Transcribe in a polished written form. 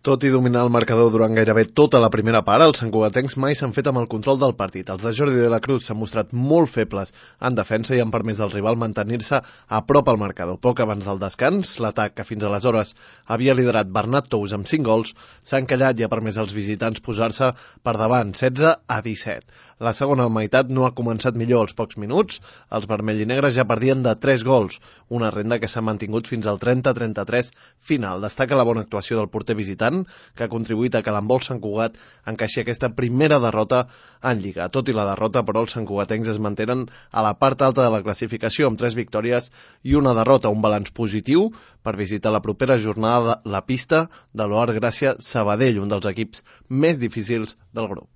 Tot i dominar el marcador durant gairebé tota la primera part, els santcugatencs mai s'han fet amb el control del partit. Els de Jordi de la Cruz s'han mostrat molt febles en defensa i han permès al rival mantenir-se a prop al marcador. Poc abans del descans, l'atac que fins aleshores havia liderat Bernat Tous amb 5 gols s'ha encallat i ha permès als visitants posar-se per davant, 16-17. La segona meitat no ha començat millor. Als pocs minuts, els vermells i negres ja perdien de 3 gols, una renda que s'ha mantingut fins al 30-33 final. Destaca la bona actuació del porter visitant, que ha contribuït a que l'handbol Sant Cugat encaixi aquesta primera derrota en Lliga. Tot i la derrota, però, els santcugatencs es mantenen a la part alta de la classificació amb 3 victòries i una derrota, un balanç positiu per visitar la propera jornada la pista de l'Oar Gràcia Sabadell, un dels equips més difícils del grup.